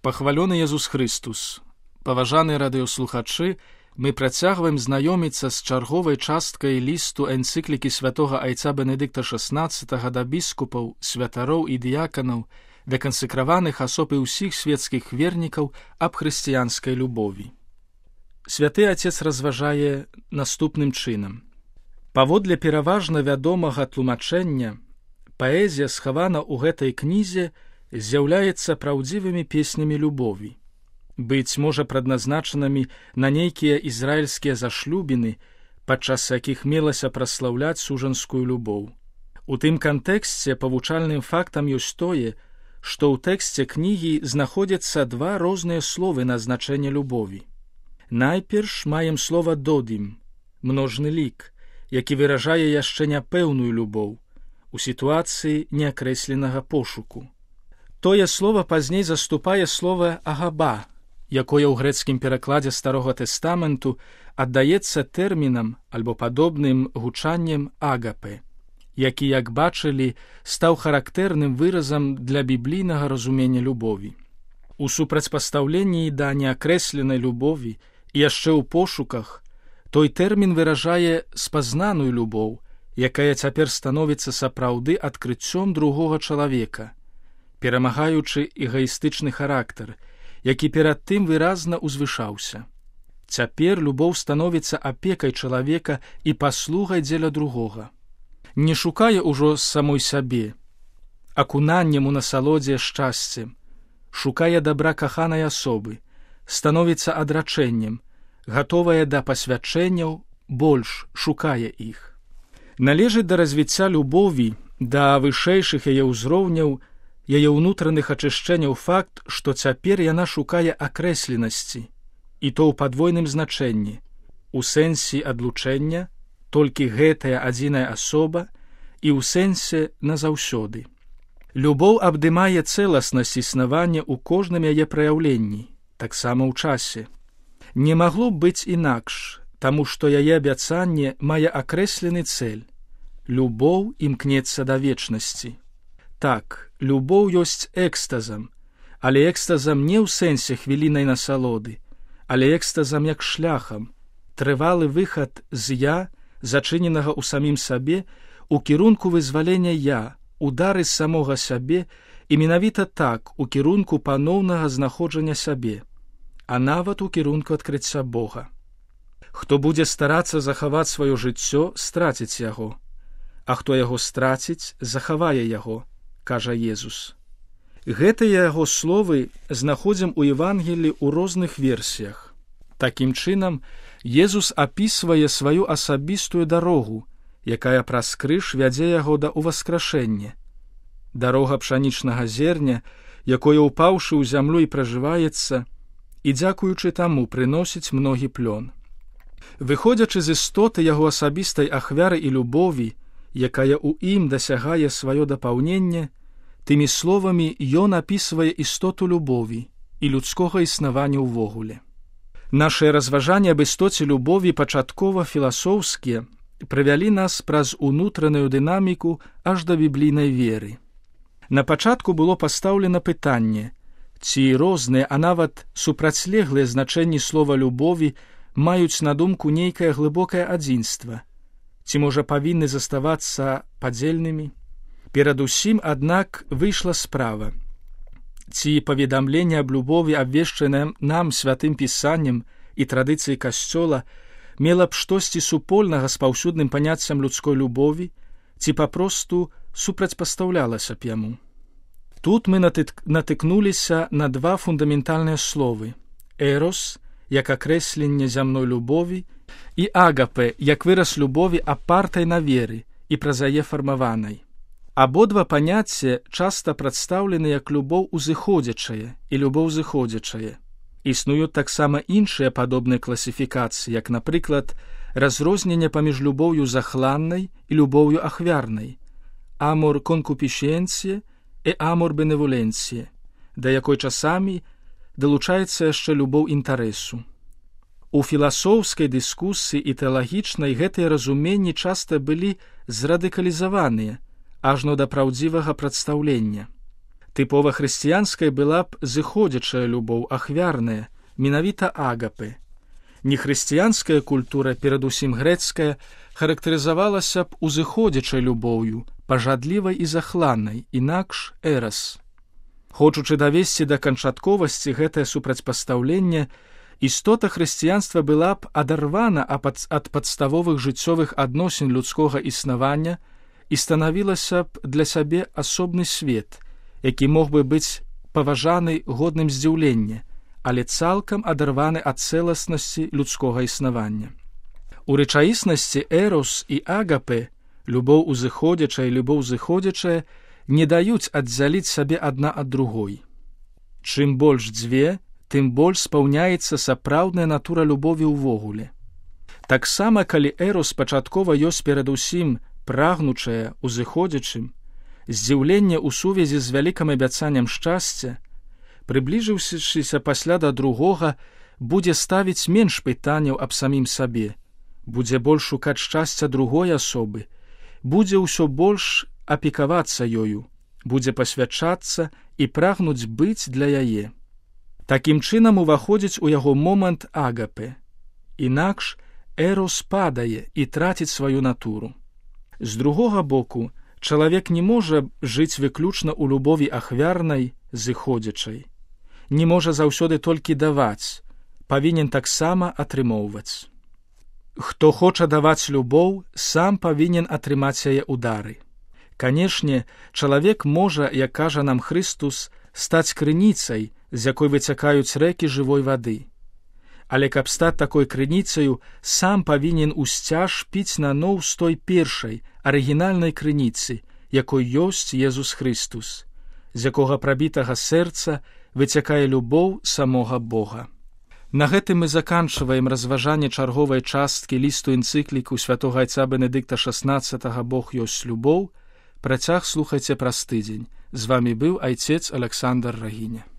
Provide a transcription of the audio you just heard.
Пахвалёны Езус Христус! Паважаныя радыёслухачы, мы працягваем знаёміцца з чарговай часткай лісту энцыклікі святога айца Бенедыкта XVI да біскупаў, святароў і дыяканаў, да кансекраваных асоб і ўсіх светскіх вернікаў аб хрысціянскай любові. Святы Отец разважае наступным чынам. Паводле пераважна вядомага тлумачэння, паэзія, схавана ў гэтай кнізе, з'яўляецца праўдзівымі песнямі любові, быць можа прадназначанымі на нейкія ізраільскія зашлюбіны, падчас якіх мелася праслаўляць сужанскую любоў. У тым кантэксце павучальным фактам ёсць тое, што ў тэксце кнігі знаходзяцца два розныя словы на значэнне любові. Найперш маем слова «додім» – множны лік, які выражае яшчэ няпэўную любоў у сітуацыі неакрэсленага пошуку. Тое слова пазней заступае слова «агаба», якое ў грэцкім перакладзе Старога Тэстаменту аддаецца тэрмінам альбо падобным гучаннем «агапе», які, як бачылі, стаў характэрным выразам для біблійнага разумення любові. У супрацьпастаўленні да неакрэсленай любові і яшчэ ў пошуках той тэрмін выражае спазнаную любоў, якая цяпер становіцца сапраўды адкрыццём другога чалавека, перамагаючы эгаістычны характар, які перад тым выразна узвышаўся. Цяпер любоў становіцца апекай чалавека і паслугай дзеля другога. Не шукае ўжо самой сябе, акунаннем у насалодзе шчасцем, шукае дабра каханай асобы, становіцца адрачэннем, гатовая да пасвячэнняў, больш шукае іх. Належыць да развіцця любові, да вышэйшых яе ўзроўняў, яе ўнутраных ачышчэнняў факт, што цяпер яна шукае акрэсленасці, і то ў падвойным значэнні, у сэнсе адлучэння, толькі гэтая адзіная асоба, і ў сэнсе назаўсёды. Любоў абдымае цэласнасць існавання ў кожным яе праяўленні, таксама ў часе. Не магло б быць інакш, таму што яе абяцанне мае акрэслены цэль. Любоў імкнецца да вечнасці. Так, любоў ёсць экстазам, але экстазам не ў сэнсе хвілінай насалоды, але экстазам як шляхам, трывалы выхад з «я», зачыненага ў самім сабе, у кірунку вызвалення «я», удары з самога сябе і менавіта так у кірунку паноўнага знаходжання сябе, а нават у кірунку адкрыцця Бога. Хто будзе старацца захаваць сваё жыццё, страціць яго, а хто яго страціць, захавае яго, кажа Езус. Гэтыя яго словы знаходзім у Евангеліі ў розных версіях. Такім чынам, Езус апісвае сваю асабістую дарогу, якая праз крыж вядзе яго да ўваскрашэння. Дарога пшанічнага зерня, якое, упаўшы ў зямлю і пражываецца, і дзякуючы таму прыносіць многі плён. Выходзячы з істоты яго асабістай ахвяры і любові, якая ў ім дасягае сваё дапаўненне, тымі словамі ён апісвае істоту любові і людскога існавання ўвогуле. Нашыя разважанні аб істоце любові пачаткова філасофскія прывялі нас праз унутраную дынаміку аж да біблійнай веры. На пачатку было пастаўлена пытанне, ці розныя, а нават супрацьлеглыя значэнні слова любові маюць на думку нейкае глыбокае адзінства, ці, можа, павінны заставацца падзельнымі? Перадусім, аднак, выйшла справа. Ці паведамленне аб любові, абвешчанае нам святым пісаннем і традыцыяй Касцёла, мела б штосьці супольнага з паўсюдным паняццем людской любові, ці папросту супрацьпастаўлялася б яму. Тут мы натыкнуліся на два фундаментальныя словы – «эрос», як акрэсленне зямной любові, і «агапе», як выраз любові апартай на веры і праз яе фармаванай. Абодва паняцці часта прадстаўлены як любоў узыходзячая і любоў зыходзячая. Існуюць таксама іншыя падобныя класіфікацыі, як, напрыклад, разрозненне паміж любоўю захланнай і любоўю ахвярнай, амор конкупішенціє і амор беневоленціє, да якой часамі далучаецца яшчэ любоў інтарэсу. У філасофскай дыскусіі і тэалагічнай гэтыя разуменні часта былі зрадыкалізаваныя, ажно да праўдзівага прадстаўлення. Тыпова хрысціянскай была б зыходзячая любоў, ахвярная, менавіта агапы. Нехрысціянская культура, перадусім грэцкая, характарызавалася б узыходзячай любоўю, пажадлівай і захланнай, інакш эрас. Хочучы давесці да канчатковасці гэтае супрацьпастаўленне, істота хрысціянства была б адарвана ад падставовых жыццёвых адносін людскога існавання і станавілася б для сябе асобны свет, які мог бы быць паважаны годным здзіўлення, але цалкам адарваны ад цэласнасці людскога існавання. У рэчаіснасці эрос і агапе, любоў узыходзячая і любоў зыходзячая, не даюць аддзяліць сабе адна ад другой. Чым больш дзве, тым больш спаўняецца сапраўдная натура любові ўвогуле. Таксама, калі эрос пачаткова ёсць перадусім прагнучая, узыходзячым, здзіўленне ў сувязі з вялікім абяцаннем шчасця, прыбліжыўшыся пасля да другога, будзе ставіць менш пытанняў аб самім сабе, будзе больш шукаць шчасця другой асобы, будзе ўсё больш апекавацца ёю, будзе пасвячацца і прагнуць быць для яе. Такім чынам уваходзіць у яго момант агапе. Інакш эрос падае і траціць сваю натуру. З другога боку, чалавек не можа жыць выключна ў любові ахвярнай, зыходзячай. Не можа заўсёды толькі даваць, павінен таксама атрымоўваць. Хто хоча даваць любоў, сам павінен атрымаць яе ў дары. Канешне, чалавек можа, як кажа нам Хрыстус, стаць крыніцай, з якой выцякаюць рэкі жывой вады. Але каб стаць такой крыніцаю, сам павінен усцяж піць наноў з той першай, арыгінальнай крыніцы, якой ёсць Езус Хрыстус, з якога прабітага сэрца выцякае любоў самога Бога. На гэтым мы заканчваем разважанне чарговай часткі лісту энцыкліку святога айца Бенедыкта XVI «Бог ёсць любоў». Працяг слухайце праз тыдзень. З вамі быў айцец Александр Рагіня.